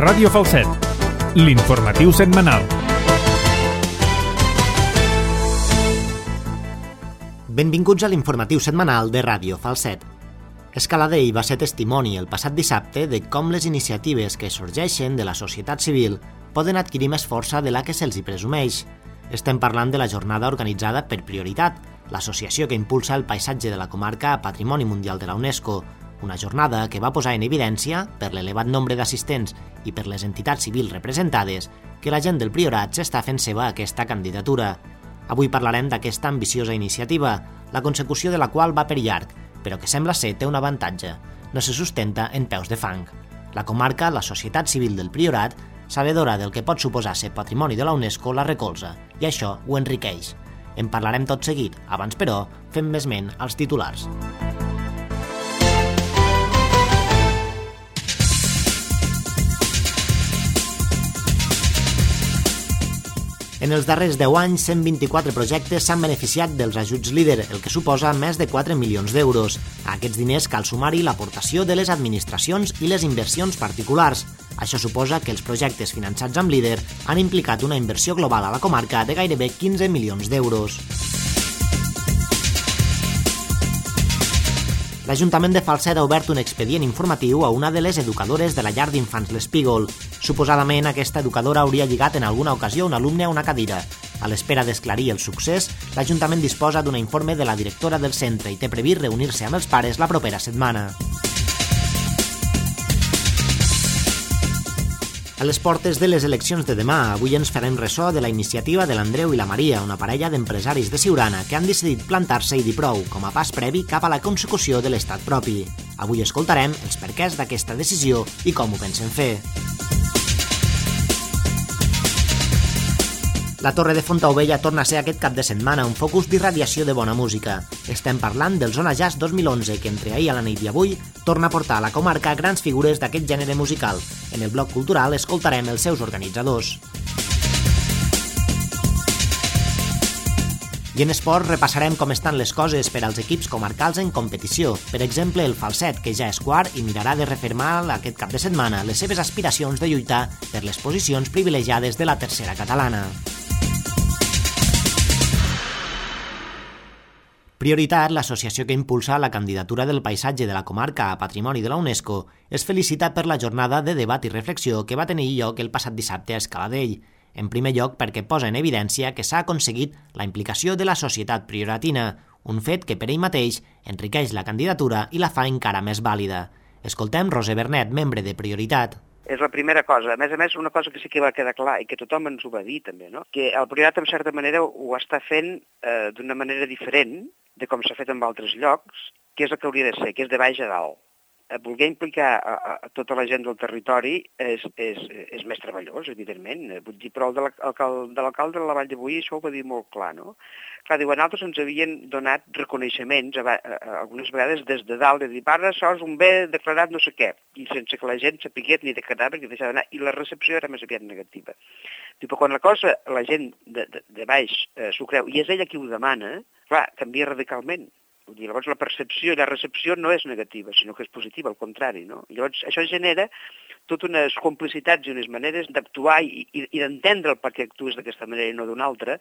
Ràdio Falset, l'informatiu setmanal. Benvinguts a l'informatiu setmanal de Ràdio Falset. Escaladell va ser testimoni el passat dissabte de com les iniciatives que sorgeixen de la societat civil poden adquirir més força de la que se'ls hi presumeix. Estem parlant de la jornada organitzada per Prioritat, l'associació que impulsa el paisatge de la comarca a Patrimoni Mundial de la UNESCO, una jornada que va posar en evidència, per l'elevat nombre d'assistents i per les entitats civils representades, que la gent del Priorat s'està fent seva aquesta candidatura. Avui parlarem d'aquesta ambiciosa iniciativa, la consecució de la qual va per llarg, però que sembla ser té un avantatge. No se sustenta en peus de fang. La comarca, la societat civil del Priorat, sabedora del que pot suposar ser patrimoni de la UNESCO, la recolza, i això ho enriqueix. En parlarem tot seguit, abans però fem més ment als titulars. En els darrers 10 anys, 124 projectes s'han beneficiat dels ajuts LEADER, el que suposa més de 4 milions d'euros. A aquests diners cal sumar-hi l'aportació de les administracions i les inversions particulars. Això suposa que els projectes finançats amb LEADER han implicat una inversió global a la comarca de gairebé 15 milions d'euros. L'Ajuntament de Falset ha obert un expedient informatiu a una de les educadores de la llar d'infants l'Espígol. Suposadament, aquesta educadora hauria lligat en alguna ocasió un alumne a una cadira. A l'espera d'esclarir el succés, l'Ajuntament disposa d'un informe de la directora del centre i té previst reunir-se amb els pares la propera setmana. A les portes de les eleccions de demà, avui ens farem ressò de la iniciativa de l'Andreu i la Maria, una parella d'empresaris de Siurana que han decidit plantar-se i dir prou com a pas previ cap a la consecució de l'estat propi. Avui escoltarem els perquès d'aquesta decisió i com ho pensen fer. La Torre de Fontaubella torna a ser aquest cap de setmana un focus d'irradiació de bona música. Estem parlant del Zona Jazz 2011, que entre ahir a la nit i avui torna a portar a la comarca grans figures d'aquest gènere musical. En el bloc cultural escoltarem els seus organitzadors. I en esport repassarem com estan les coses per als equips comarcals en competició. Per exemple, el Falset, que ja és quart i mirarà de refermar aquest cap de setmana les seves aspiracions de lluitar per les posicions privilegiades de la tercera catalana. Prioritat, l'associació que impulsa la candidatura del paisatge de la comarca a Patrimoni de la UNESCO, es felicita per la jornada de debat i reflexió que va tenir lloc el passat dissabte a Escaladell. En primer lloc, perquè posa en evidència que s'ha aconseguit la implicació de la societat prioratina, un fet que per ell mateix enriqueix la candidatura i la fa encara més vàlida. Escoltem Roser Bernet, membre de Prioritat. És la primera cosa. A més, una cosa que sí que va quedar clar i que tothom ens ho va dir també, no? Que el Priorat, en certa manera, ho està fent d'una manera diferent de com s'ha fet en altres llocs, que és el que hauria de ser, que és de baix a dalt. Voler implicar a tota la gent del territori és més treballós, evidentment. Vull dir, però de l'alcalde de la Vall de Boí això ho va dir molt clar, no? Clar, diuen, altres ens havien donat reconeixements algunes vegades des de dalt, de dir, ara això és un bé declarat no sé què, i sense que la gent sapigués ni declarar ni deixar d'anar, i la recepció era més aviat negativa. Però quan la cosa, la gent de baix s'ho creu, i és ella qui ho demana, clar, canvia radicalment. Vull dir, llavors la percepció i la recepció no és negativa, sinó que és positiva, al contrari, no? Llavors això genera totes unes complicitats i unes maneres d'actuar i d'entendre el per què actues d'aquesta manera i no d'una altra,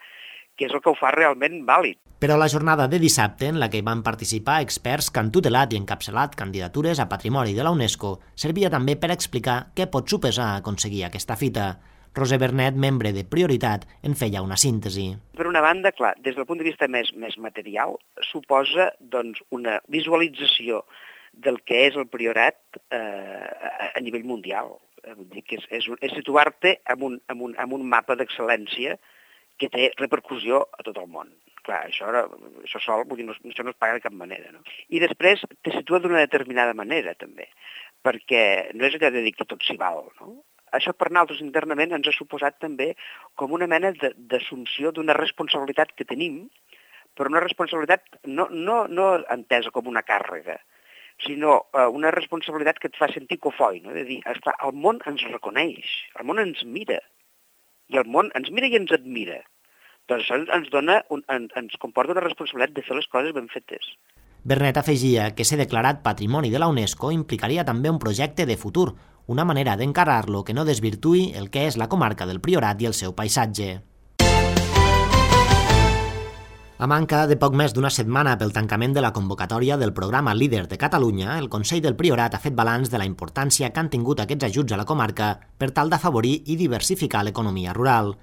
que és el que ho fa realment vàlid. Però la jornada de dissabte, en la que van participar experts que han tutelat i encapçalat candidatures a Patrimoni de la UNESCO, servia també per explicar què pot suposar aconseguir aquesta fita. Roser Bernet, membre de Prioritat, en feia una síntesi. Per una banda, clar, des del punt de vista més material, suposa doncs, una visualització del que és el Priorat a nivell mundial. Vull dir que és situar-te en un mapa d'excel·lència que té repercussió a tot el món. Clar, això sol, vull dir, això no es paga de cap manera, no? I després te situa d'una determinada manera, també, perquè no és allò de dir que tot s'hi val, no? Això per nosaltres internament ens ha suposat també com una mena d'assumpció d'una responsabilitat que tenim, però una responsabilitat no entesa com una càrrega, sinó una responsabilitat que et fa sentir cofoi, no? De dir, esclar, el món ens reconeix, el món ens mira, i el món ens mira i ens admira. Doncs això ens comporta una responsabilitat de fer les coses ben fetes. Bernet afegia que ser declarat Patrimoni de la UNESCO implicaria també un projecte de futur, una manera d'encarar-lo que no desvirtuï el que és la comarca del Priorat i el seu paisatge. A manca de poc més d'una setmana pel tancament de la convocatòria del programa Líder de Catalunya, el Consell del Priorat ha fet balanç de la importància que han tingut aquests ajuts a la comarca per tal d'afavorir i diversificar l'economia rural.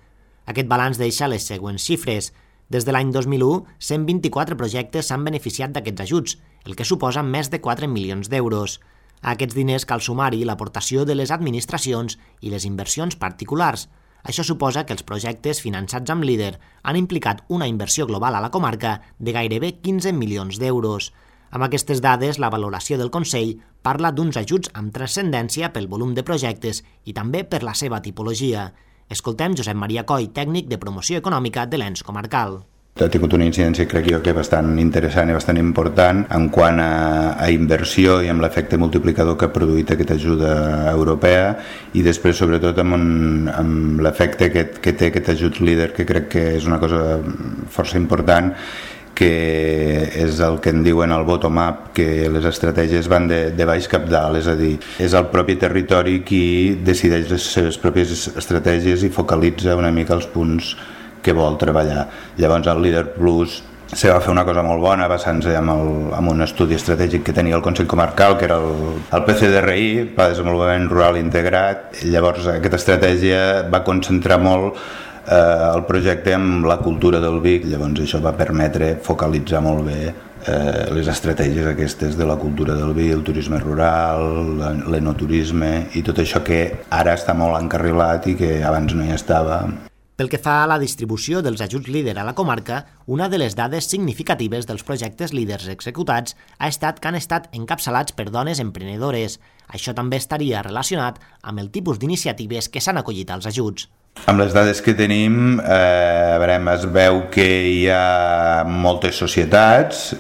Aquest balanç deixa les següents xifres. Des de l'any 2001, 124 projectes s'han beneficiat d'aquests ajuts, el que suposa més de 4 milions d'euros. A aquests diners cal sumar-hi l'aportació de les administracions i les inversions particulars. Això suposa que els projectes finançats amb Líder han implicat una inversió global a la comarca de gairebé 15 milions d'euros. Amb aquestes dades, la valoració del Consell parla d'uns ajuts amb transcendència pel volum de projectes i també per la seva tipologia. Escoltem Josep Maria Coll, tècnic de promoció econòmica de l'ENS comarcal. Ha tingut una incidència, crec jo, que bastant interessant i bastant important en quant a inversió i amb l'efecte multiplicador que ha produït aquesta ajuda europea i després, sobretot, amb l'efecte que té aquest ajut Líder, que crec que és una cosa força important, que és el que en diuen el bottom-up, que les estratègies van de baix cap dalt, és a dir, és el propi territori qui decideix les seves pròpies estratègies i focalitza una mica els punts que vol treballar. Llavors el Líder Plus se va fer una cosa molt bona basant-se en un estudi estratègic que tenia el Consell Comarcal, que era el PCDRI, Pla de Desenvolupament Rural Integrat. Llavors aquesta estratègia va concentrar molt el projecte amb la cultura del vi. Llavors això va permetre focalitzar molt bé les estratègies aquestes de la cultura del vi, el turisme rural, l'enoturisme i tot això que ara està molt encarrilat i que abans no hi estava. Pel que fa a la distribució dels ajuts Líder a la comarca, una de les dades significatives dels projectes Líders executats ha estat que han estat encapçalats per dones emprenedores. Això també estaria relacionat amb el tipus d'iniciatives que s'han acollit als ajuts. Amb les dades que tenim, es veu que hi ha moltes societats,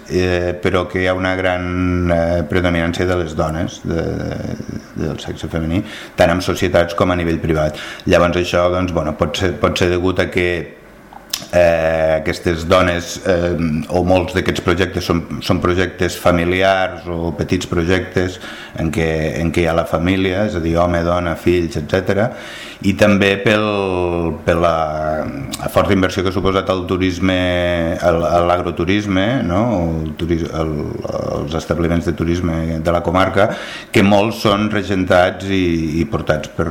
però que hi ha una gran predominància de les dones, del sexe femení, tant en societats com a nivell privat. Llavors això pot ser degut a que aquestes dones o molts d'aquests projectes són projectes familiars o petits projectes en què hi ha la família, és a dir, home, dona, fills, etc. I també per la forta inversió que ha suposat el turisme, l'agroturisme, no? Els establiments de turisme de la comarca, que molts són regentats i portats per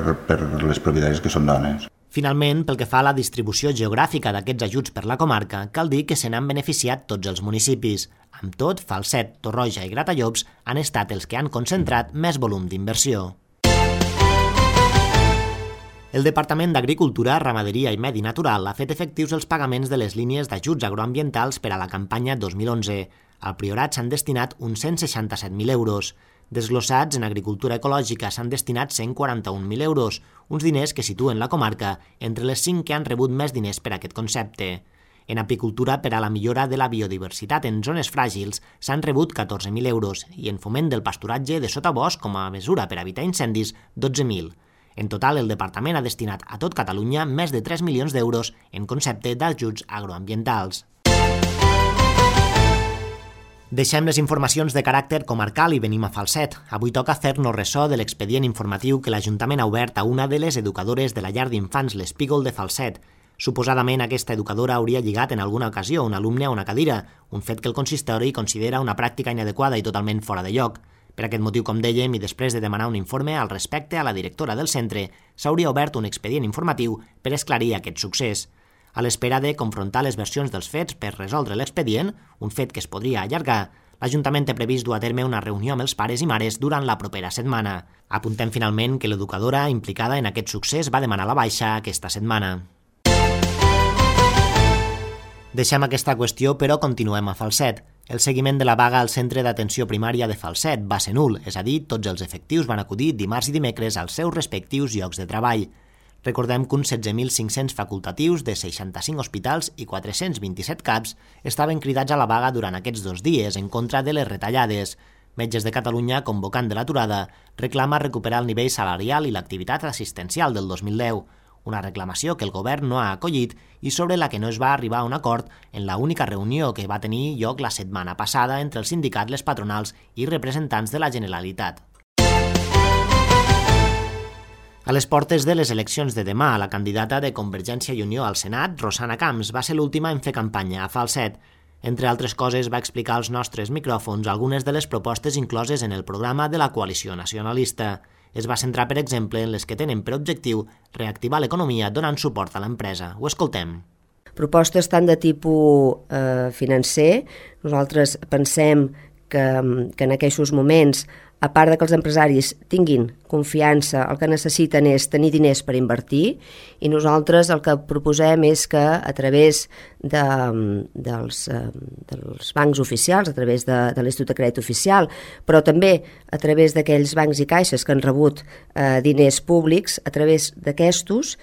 les propietàries que són dones. Finalment, pel que fa a la distribució geogràfica d'aquests ajuts per la comarca, cal dir que se n'han beneficiat tots els municipis. Amb tot, Falset, Torroja i Gratallops han estat els que han concentrat més volum d'inversió. El Departament d'Agricultura, Ramaderia i Medi Natural ha fet efectius els pagaments de les línies d'ajuts agroambientals per a la campanya 2011. Al Priorat s'han destinat uns 167.000 euros. Desglossats en agricultura ecològica s'han destinat 141.000 euros, uns diners que situen la comarca entre les 5 que han rebut més diners per aquest concepte. En apicultura, per a la millora de la biodiversitat en zones fràgils, s'han rebut 14.000 euros i en foment del pasturatge de sotabosc com a mesura per evitar incendis, 12.000. En total, el departament ha destinat a tot Catalunya més de 3 milions d'euros en concepte d'ajuts agroambientals. Deixem les informacions de caràcter comarcal i venim a Falset. Avui toca fer-nos ressò de l'expedient informatiu que l'Ajuntament ha obert a una de les educadores de la llar d'infants l'Espígol de Falset. Suposadament, aquesta educadora hauria lligat en alguna ocasió un alumne a una cadira, un fet que el consistori considera una pràctica inadequada i totalment fora de lloc. Per aquest motiu, com dèiem, i després de demanar un informe al respecte a la directora del centre, s'hauria obert un expedient informatiu per esclarir aquest succés. A l'espera de confrontar les versions dels fets per resoldre l'expedient, un fet que es podria allargar, l'Ajuntament té previst dur a terme una reunió amb els pares i mares durant la propera setmana. Apuntem finalment que l'educadora implicada en aquest succés va demanar la baixa aquesta setmana. Deixem aquesta qüestió, però continuem a Falset. El seguiment de la vaga al Centre d'Atenció Primària de Falset va ser nul, és a dir, tots els efectius van acudir dimarts i dimecres als seus respectius llocs de treball. Recordem que uns 16.500 facultatius de 65 hospitals i 427 CAPs estaven cridats a la vaga durant aquests 2 dies en contra de les retallades. Metges de Catalunya, convocant de l'aturada, reclama recuperar el nivell salarial i l'activitat assistencial del 2010. una reclamació que el govern no ha acollit i sobre la que no es va arribar a un acord en la única reunió que va tenir lloc la setmana passada entre els sindicats, les patronals i representants de la Generalitat. A les portes de les eleccions de demà, la candidata de Convergència i Unió al Senat, Rosana Camps, va ser l'última en fer campanya a Falset. Entre altres coses, va explicar als nostres micròfons algunes de les propostes incloses en el programa de la coalició nacionalista. Es va centrar, per exemple, en les que tenen per objectiu reactivar l'economia donant suport a l'empresa. Ho escoltem. Propostes tant de tipus financer. Nosaltres pensem que en aquests moments, a part de que els empresaris tinguin confiança, el que necessiten és tenir diners per invertir, i nosaltres el que proposem és que a través dels bancs oficials, a través de l'Institut de Crèdit Oficial, però també a través d'aquells bancs i caixes que han rebut diners públics, a través d'aquestos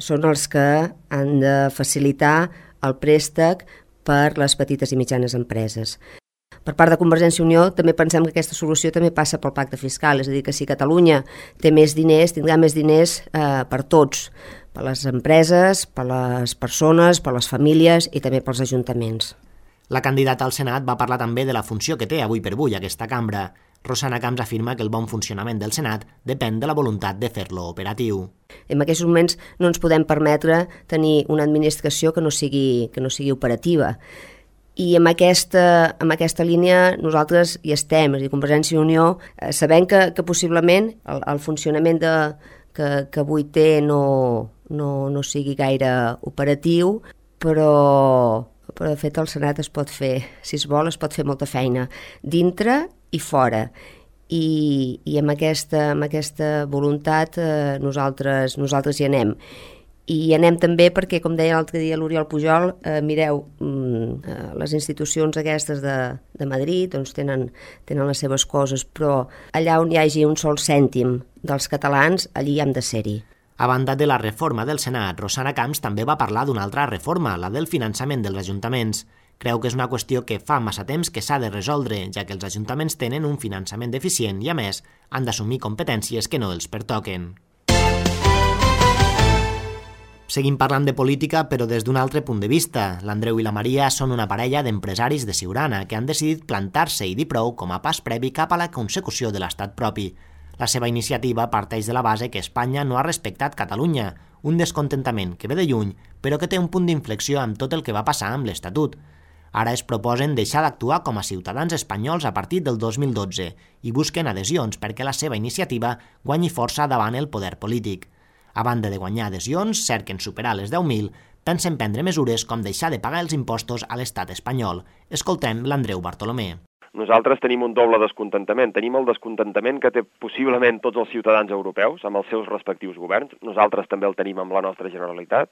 són els que han de facilitar el préstec per les petites i mitjanes empreses. Per part de Convergència i Unió també pensem que aquesta solució també passa pel pacte fiscal, és a dir, que si Catalunya té més diners, tindrà més diners per tots, per les empreses, per les persones, per les famílies i també pels ajuntaments. La candidata al Senat va parlar també de la funció que té avui per avui aquesta cambra. Rosana Camps afirma que el bon funcionament del Senat depèn de la voluntat de fer-lo operatiu. En aquests moments no ens podem permetre tenir una administració que no sigui operativa. I amb aquesta línia nosaltres hi estem, és a dir, Convergència i Unió, sabent que possiblement el funcionament que avui té no sigui gaire operatiu, però de fet el Senat es pot fer, si es vol, es pot fer molta feina, dintre i fora. I amb aquesta voluntat nosaltres hi anem. I anem també perquè, com deia l'altre dia l'Oriol Pujol, mireu, les institucions aquestes de Madrid doncs tenen les seves coses, però allà on hi hagi un sol cèntim dels catalans, allí hem de ser-hi. A banda de la reforma del Senat, Rosana Camps també va parlar d'una altra reforma, la del finançament dels ajuntaments. Creu que és una qüestió que fa massa temps que s'ha de resoldre, ja que els ajuntaments tenen un finançament deficient i, a més, han d'assumir competències que no els pertoquen. Seguim parlant de política, però des d'un altre punt de vista. L'Andreu i la Maria són una parella d'empresaris de Siurana que han decidit plantar-se i dir prou com a pas previ cap a la consecució de l'estat propi. La seva iniciativa parteix de la base que Espanya no ha respectat Catalunya, un descontentament que ve de lluny, però que té un punt d'inflexió amb tot el que va passar amb l'Estatut. Ara es proposen deixar d'actuar com a ciutadans espanyols a partir del 2012 i busquen adhesions perquè la seva iniciativa guanyi força davant el poder polític. A banda de guanyar adhesions, cerquen superar les 10.000, pensen prendre mesures com deixar de pagar els impostos a l'estat espanyol. Escoltem l'Andreu Bartolomé. Nosaltres tenim un doble descontentament. Tenim el descontentament que té possiblement tots els ciutadans europeus amb els seus respectius governs. Nosaltres també el tenim amb la nostra Generalitat.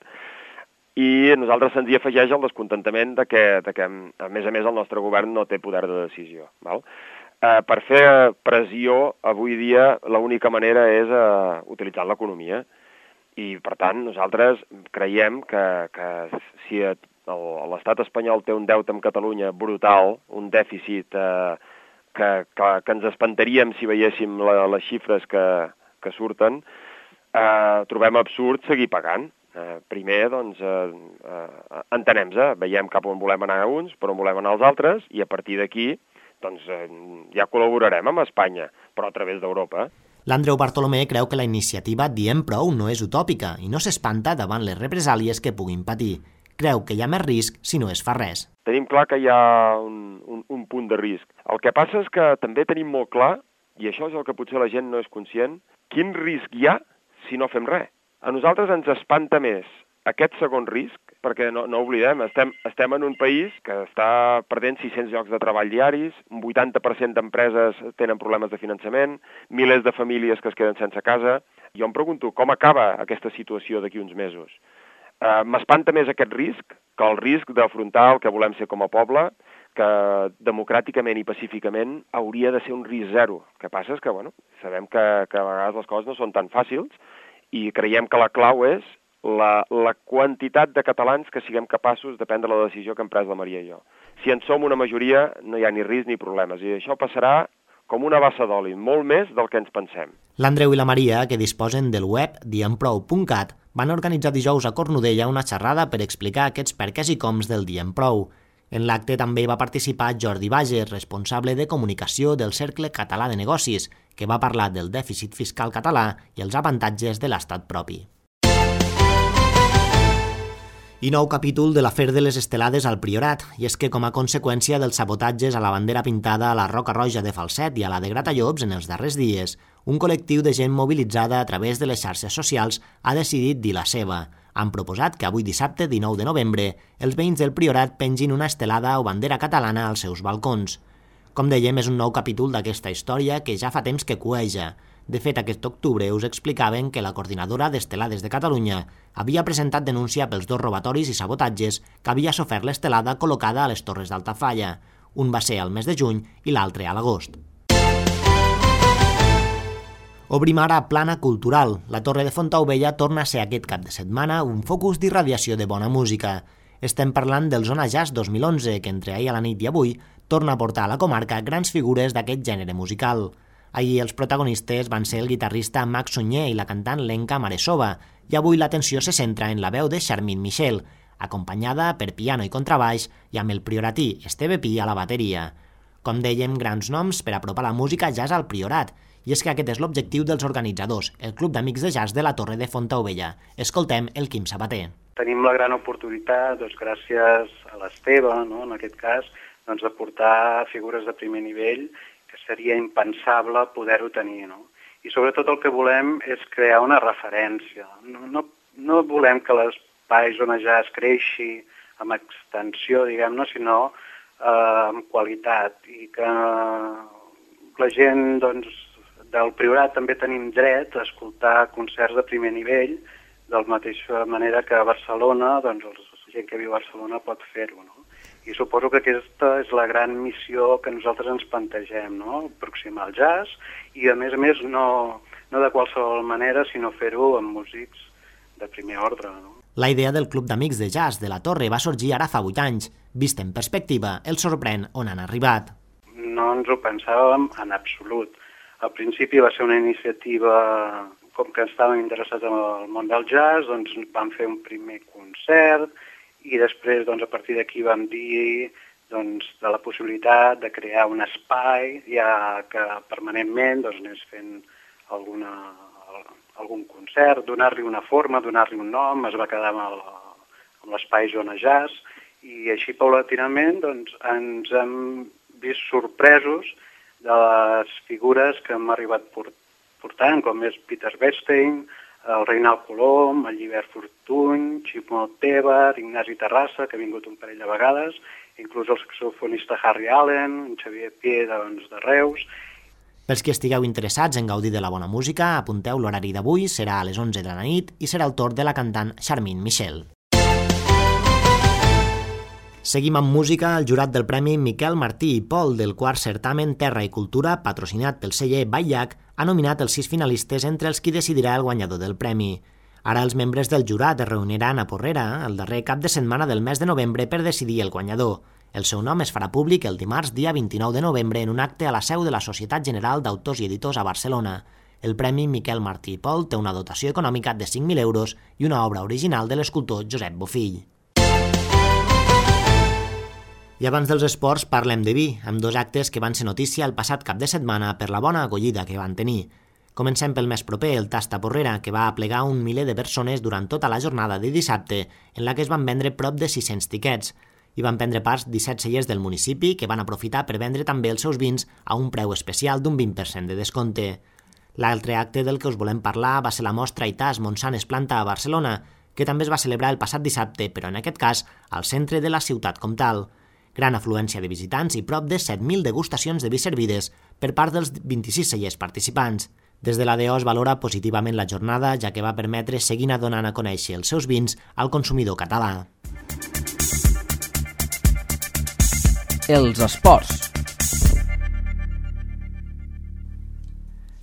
I a nosaltres se'ns hi afegeix el descontentament de que, a més, el nostre govern no té poder de decisió. Val? Per fer pressió, avui dia, l'única manera és utilitzar l'economia. I, per tant, nosaltres creiem que si l'estat espanyol té un deute amb Catalunya brutal, un dèficit que ens espantaríem si veiéssim les xifres que surten, trobem absurd seguir pagant. Primer, doncs, entenem-se, veiem cap on volem anar uns, per on volem anar els altres, i a partir d'aquí, doncs, ja col·laborarem amb Espanya, però a través d'Europa. L'Andreu Bartolomé creu que la iniciativa Diem Prou no és utòpica i no s'espanta davant les represàlies que puguin patir. Creu que hi ha més risc si no es fa res. Tenim clar que hi ha un punt de risc. El que passa és que també tenim molt clar, i això és el que potser la gent no és conscient, quin risc hi ha si no fem res. A nosaltres ens espanta més aquest segon risc, perquè no oblidem, estem en un país que està perdent 600 llocs de treball diaris, un 80% d'empreses tenen problemes de finançament, milers de famílies que es queden sense casa. Jo em pregunto com acaba aquesta situació d'aquí uns mesos. M'espanta més aquest risc que el risc d'afrontar el que volem ser com a poble, que democràticament i pacíficament hauria de ser un risc zero. El que passa és que, sabem que a vegades les coses no són tan fàcils i creiem que la clau és la quantitat de catalans que siguem capaços de prendre la decisió que hem pres la Maria i jo. Si en som una majoria, no hi ha ni risc ni problemes, i això passarà com una bassa d'oli, molt més del que ens pensem. L'Andreu i la Maria, que disposen del web diemprou.cat, van organitzar dijous a Cornudella una xerrada per explicar aquests perquès i coms del Diem Prou. En l'acte també va participar Jordi Bages, responsable de comunicació del Cercle Català de Negocis, que va parlar del dèficit fiscal català i els avantatges de l'estat propi. I nou capítol de l'afer de les estelades al Priorat, i és que com a conseqüència dels sabotatges a la bandera pintada a la Roca Roja de Falset i a la de Gratallops en els darrers dies, un col·lectiu de gent mobilitzada a través de les xarxes socials ha decidit dir la seva. Han proposat que avui dissabte, 19 de novembre, els veïns del Priorat pengin una estelada o bandera catalana als seus balcons. Com dèiem, és un nou capítol d'aquesta història que ja fa temps que cueja. De fet, aquest octubre us explicaven que la coordinadora d'Estelades de Catalunya havia presentat denúncia pels 2 robatoris i sabotatges que havia sofert l'estelada col·locada a les Torres d'Altafalla. Un va ser al mes de juny i l'altre a l'agost. Obrim ara plana cultural. La Torre de Fontaubella torna a ser aquest cap de setmana un focus d'irradiació de bona música. Estem parlant del Zona Jazz 2011, que entre ahir a la nit i avui torna a portar a la comarca grans figures d'aquest gènere musical. Ahir els protagonistes van ser el guitarrista Max Sunyer i la cantant Lenka Maresova, i avui l'atenció se centra en la veu de Charmin Michel, acompanyada per piano i contrabaix i amb el prioratí Esteve Pi a la bateria. Com dèiem, grans noms per apropar la música jazz al Priorat, i és que aquest és l'objectiu dels organitzadors, el Club d'Amics de Jazz de la Torre de Fontaubella. Escoltem el Quim Sabater. Tenim la gran oportunitat, gràcies a l'Esteve, en aquest cas, de portar figures de primer nivell que seria impensable poder-ho tenir. I sobretot el que volem és crear una referència. No volem que l'espai Zona Jazz creixi amb extensió, diguem-ne, sinó amb qualitat, i que la gent del Priorat també tenim dret a escoltar concerts de primer nivell, de la mateixa manera que a Barcelona, la gent que viu a Barcelona pot fer-ho. I suposo que aquesta és la gran missió que nosaltres ens plantegem, aproximar el jazz, i a més no de qualsevol manera, sinó fer-ho amb músics de primer ordre. La idea del Club d'Amics de Jazz de la Torre va sorgir ara fa 8 anys. Vist en perspectiva, el sorprèn on han arribat. No ens ho pensàvem en absolut. Al principi va ser una iniciativa, com que estàvem interessats en el món del jazz, vam fer un primer concert i després a partir d'aquí vam dir de la possibilitat de crear un espai ja que permanentment anés fent algun concert, donar-li una forma, donar-li un nom, es va quedar amb l'espai Zona Jazz i així paulatinament ens hem vist sorpresos de les figures que hem arribat portant, com és Peter Bernstein, el Reinald Colom, el Llibert Fortuny, Ximo Tebar, Ignasi Terrassa, que ha vingut un parell de vegades, inclús el saxofonista Harry Allen, Xavier Pié de Reus. Pels que estigueu interessats en gaudir de la bona música, apunteu l'horari d'avui, serà a les 11 de la nit i serà el torn de la cantant Charmin Michel. Seguim amb música. El jurat del Premi Miquel Martí i Pol del quart certamen Terra i Cultura, patrocinat pel celler Baillac, ha nominat els 6 finalistes entre els qui decidirà el guanyador del premi. Ara els membres del jurat es reuniran a Porrera el darrer cap de setmana del mes de novembre per decidir el guanyador. El seu nom es farà públic el dimarts dia 29 de novembre en un acte a la seu de la Societat General d'Autors i Editors a Barcelona. El Premi Miquel Martí i Pol té una dotació econòmica de 5.000 euros i una obra original de l'escultor Josep Bofill. I abans dels esports parlem de vi, amb 2 actes que van ser notícia el passat cap de setmana per la bona acollida que van tenir. Comencem pel més proper, el Tasta Porrera, que va aplegar un miler de persones durant tota la jornada de dissabte, en la que es van vendre prop de 600 tiquets. Hi van prendre part 17 cellers del municipi, que van aprofitar per vendre també els seus vins a un preu especial d'un 20% de descompte. L'altre acte del que us volem parlar va ser la mostra Itàs Monsanes Planta a Barcelona, que també es va celebrar el passat dissabte, però en aquest cas al centre de la ciutat comtal. Gran afluència de visitants i prop de 7.000 degustacions de vi servides per part dels 26 cellers participants. Des de l'ADO es valora positivament la jornada, ja que va permetre seguir donant a conèixer els seus vins al consumidor català. Els esports.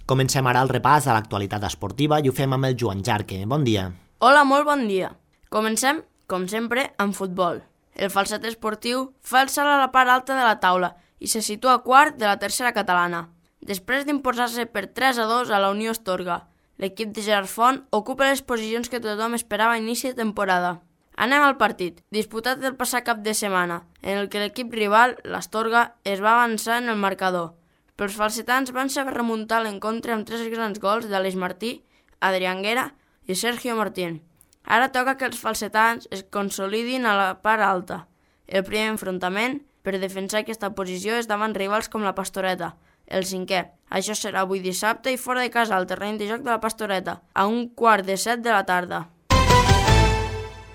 Comencem ara el repàs a l'actualitat esportiva i ho fem amb el Joan Jarque. Bon dia. Hola, molt bon dia. Comencem, com sempre, amb futbol. El Falset esportiu fa el salt a la part alta de la taula i se situa quart de la tercera catalana, després d'imposar-se per 3-2 a la Unió Astorga. L'equip de Gerard Font ocupa les posicions que tothom esperava a inici de temporada. Anem al partit, disputat el passat cap de setmana, en el que l'equip rival, l'Astorga, es va avançar en el marcador. Però els falsetans van saber remuntar l'encontre amb 3 grans gols d'Aleix Martí, Adrián Guerra i Sergio Martín. Ara toca que els falsetans es consolidin a la part alta. El primer enfrontament per defensar aquesta posició és davant rivals com la Pastoreta, el 5è. Això serà avui dissabte i fora de casa al terreny de joc de la Pastoreta, a 6:45 de la tarda.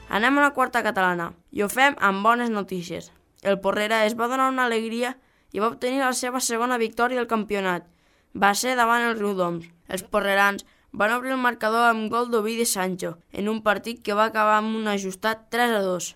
Anem a la quarta catalana, i ho fem amb bones notícies. El Porrera es va donar una alegria i va obtenir la seva segona victòria al campionat. Va ser davant el Riudoms. Els porrerans van obrir el marcador amb gol d'Ovidi Sancho, en un partit que va acabar amb un ajustat 3-2.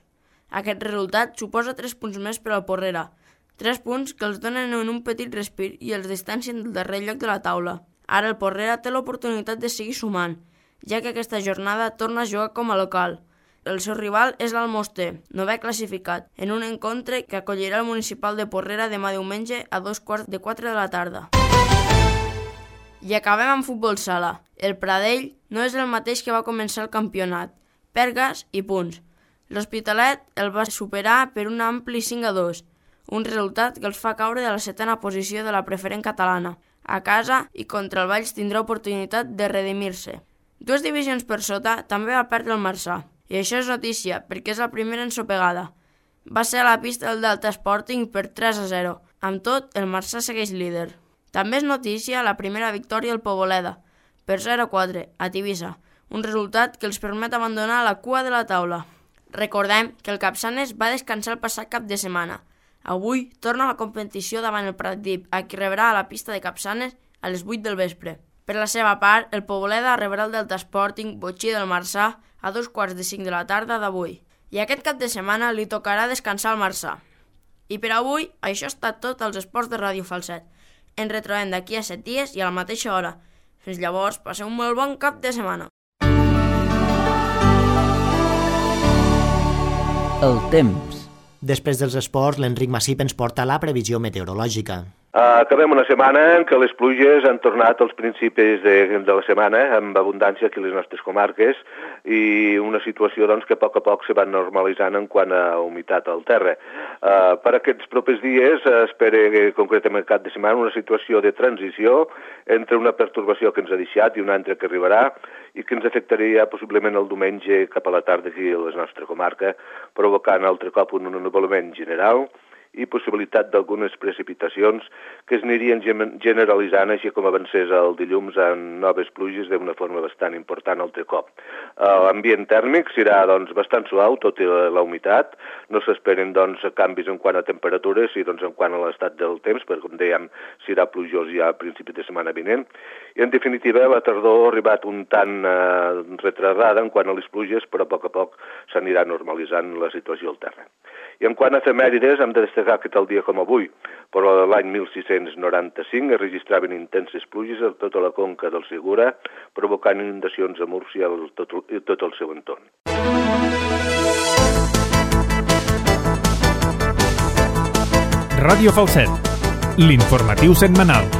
Aquest resultat suposa 3 punts més per al Porrera, 3 punts que els donen en un petit respir i els distancien del darrer lloc de la taula. Ara el Porrera té l'oportunitat de seguir sumant, ja que aquesta jornada torna a jugar com a local. El seu rival és l'Almoster, 9è classificat, en un encontre que acollirà el Municipal de Porrera demà diumenge a 3:45 de la tarda. I acabem amb futbol sala. El Pradell no és el mateix que va començar el campionat. Perdes i punts. L'Hospitalet el va superar per un ampli 5-2, un resultat que els fa caure de la 7a posició de la preferent catalana. A casa i contra el Valls tindrà oportunitat de redimir-se. 2 divisions per sota també va perdre el Marçà. I això és notícia, perquè és la primera ensopegada. Va ser a la pista del Delta Sporting per 3-0. Amb tot, el Marçà segueix líder. També és notícia la primera victòria al Poboleda, per 0-4, a Tivissa, un resultat que els permet abandonar la cua de la taula. Recordem que el Capçanes va descansar el passat cap de setmana. Avui torna a la competició davant el Pratdip, a qui rebrà a la pista de Capçanes a les 8 del vespre. Per la seva part, el Poboleda rebrà el Delta Sporting Botxí del Marçà a 2:45 de la tarda d'avui. I aquest cap de setmana li tocarà descansar al Marçà. I per avui, això ha estat tot als esports de Ràdio Falset. Ens retrobem d'aquí a 7 dies i a la mateixa hora. Fins llavors, passeu un molt bon cap de setmana. El temps. Després dels esports, l'Enric Massip ens porta la previsió meteorològica. Acabem una setmana en què les pluges han tornat als principis de la setmana amb abundància aquí a les nostres comarques i una situació doncs, que a poc se va normalitzant en quant a humitat al terra. Per aquests propers dies espera concretament cap de setmana una situació de transició entre una pertorbació que ens ha deixat i una altra que arribarà i que ens afectaria possiblement el diumenge cap a la tarda aquí a la nostra comarca, provocant altre cop un ennuvolament general i possibilitat d'algunes precipitacions que es anirien generalitzant així com avancés el dilluns en noves pluges d'una forma bastant important altre cop. L'ambient tèrmic serà doncs, bastant suau, tot i la humitat. No s'esperen doncs, canvis en quant a temperatures i doncs, en quant a l'estat del temps, perquè com dèiem serà plujós ja a principi de setmana vinent. I en definitiva la tardor ha arribat un tant retardada en quant a les pluges, però a poc s'anirà normalitzant la situació al terra. I en quant a efemèrides, hem de destacar que tal dia com avui, però l'any 1695 es registraven intenses pluges a tota la conca del Segura, provocant inundacions a Múrcia i tot el seu entorn. Ràdio Falset, l'informatiu setmanal.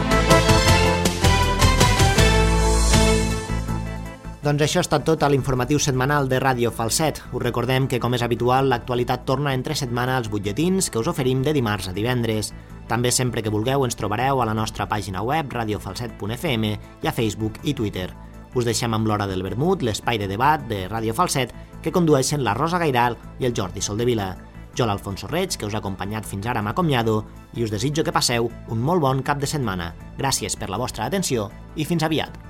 Doncs això ha estat tot a l'informatiu setmanal de Ràdio Falset. Us recordem que, com és habitual, l'actualitat torna entre setmana als butlletins que us oferim de dimarts a divendres. També sempre que vulgueu ens trobareu a la nostra pàgina web radiofalset.fm i a Facebook i Twitter. Us deixem amb l'Hora del Vermut, l'espai de debat de Ràdio Falset que condueixen la Rosa Gairal i el Jordi Soldevila. Jo, l'Alfonso Reig, que us ha acompanyat fins ara, m'acomiado i us desitjo que passeu un molt bon cap de setmana. Gràcies per la vostra atenció i fins aviat.